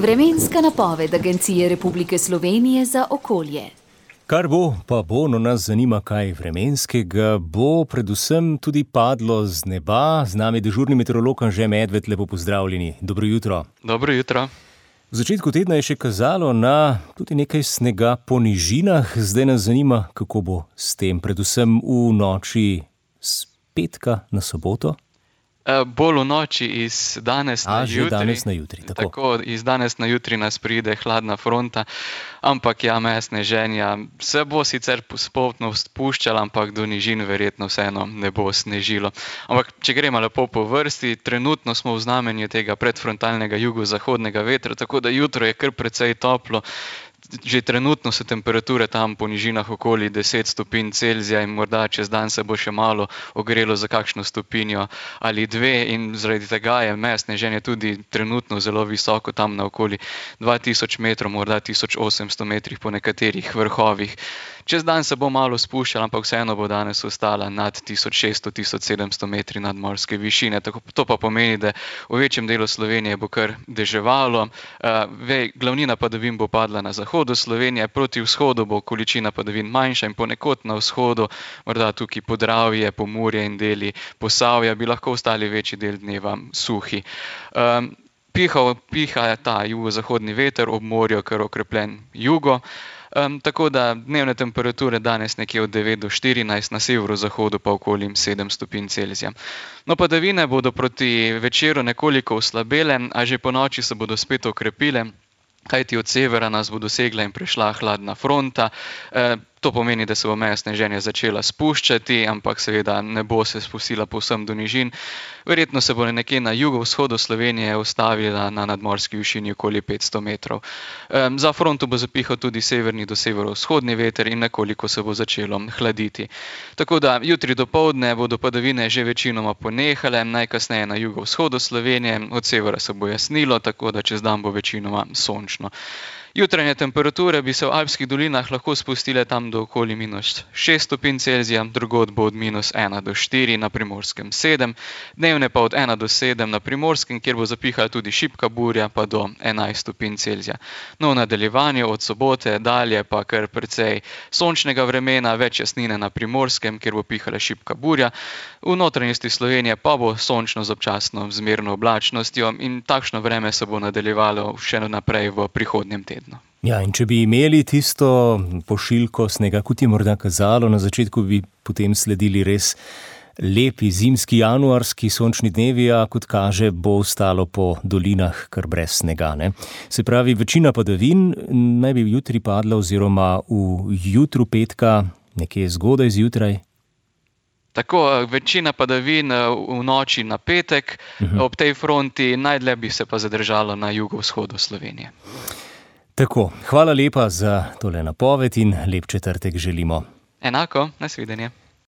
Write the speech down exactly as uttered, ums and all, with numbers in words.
Vremenska napoved Agencije Republike Slovenije za okolje. Kar bo, pa bo, no nas zanima, kaj vremenskega bo, predvsem tudi padlo z neba. Z nami dežurni meteorolog Anže Medved, lepo pozdravljeni. Dobro jutro. Dobro jutro. V začetku tedna je še kazalo na tudi nekaj snega po nižinah. Zdaj nas zanima, kako bo s tem, predvsem v noči s petka na soboto. Uh, bolj v noči iz danes A, na že jutri. danes na jutri, tako. Tako, iz danes na jutri nas pride hladna fronta, ampak ja, meja sneženja se bo sicer postopno spuščala, ampak do nižin verjetno vseeno ne bo snežilo. Ampak če gremo lepo po vrsti, trenutno smo v znamenju tega predfrontalnega jugozahodnega vetra, tako da jutro je kar precej toplo. Že trenutno so temperature tam po nižinah okoli deset stopinj Celzija in morda čez dan se bo še malo ogrelo za kakšno stopinjo ali dve in zaradi tega je meja sneženja tudi trenutno zelo visoko, tam na okoli dva tisoč metrov, morda tisoč osemsto metrih po nekaterih vrhovih. Čez dan se bo malo spuščala, ampak vseeno bo danes ostala nad tisoč šeststo do tisoč sedemsto metri nadmorske višine. Tako, to pa pomeni, da v večjem delu Slovenije bo kar deževalo. Uh, ve, glavnina padavin bo padla na zahodu Slovenije, proti vzhodu bo količina padavin manjša in ponekod na vzhodu, morda tukaj Podravje, Pomurje in deli Posavja, bi lahko ostali večji del dneva suhi. Um, piha, piha ta jugozahodni veter, ob morju kar okrepljen jugo. Um, tako da dnevne temperature danes nekje od devet do štirinajst, na severozahodu pa okoli sedem stopinj Celzija. No, padavine bodo proti večeru nekoliko oslabele, a že po noči se bodo spet okrepile, kajti od severa nas bo dosegla in prešla hladna fronta. E, to pomeni, da se bo meja sneženja začela spuščati, ampak seveda ne bo se spustila povsem do nižin. Verjetno se bo nekje na jugovzhodu Slovenije ustavila na nadmorski višini okoli petsto metrov. E, za fronto bo zapihal tudi severni do severovzhodni veter in nekoliko se bo začelo hladiti. Tako da jutri dopoldne bodo padavine že večinoma ponehale, najkasneje na jugovzhodu Slovenije, od severa se bo jasnilo, tako da čez dan bo večinoma sončno. Jutranje temperature bi se v alpskih dolinah lahko spustile tam do okoli minus šest stopinj Celzija, drugod bo od minus ena do štiri, na Primorskem sedem, dnevne pa od ena do sedem na Primorskem, kjer bo zapihala tudi šibka burja, pa do enajst stopinj Celzija. No, v nadaljevanju od sobote dalje pa kar precej sončnega vremena, več jasnine na Primorskem, kjer bo pihala šibka burja, v notranjosti Slovenije pa bo sončno z občasno zmerno oblačnostjo in takšno vreme se bo nadaljevalo še naprej v prihodnjem tednu. Ja, in če bi imeli tisto pošiljko snega, kot je morda kazalo, na začetku bi potem sledili res lepi zimski januarski sončni dnevi, a kot kaže, bo ostalo po dolinah kar brez snega, ne? Se pravi, večina padavin naj bi jutri padla oziroma v jutru petka, nekje zgodaj zjutraj. Tako, večina padavin v noči na petek, uh-huh. Ob tej fronti, najdlje bi se pa zadržalo na jugovzhodu Slovenije. Tako, hvala lepa za tole napoved in lep četrtek želimo. Enako, nasvidenje.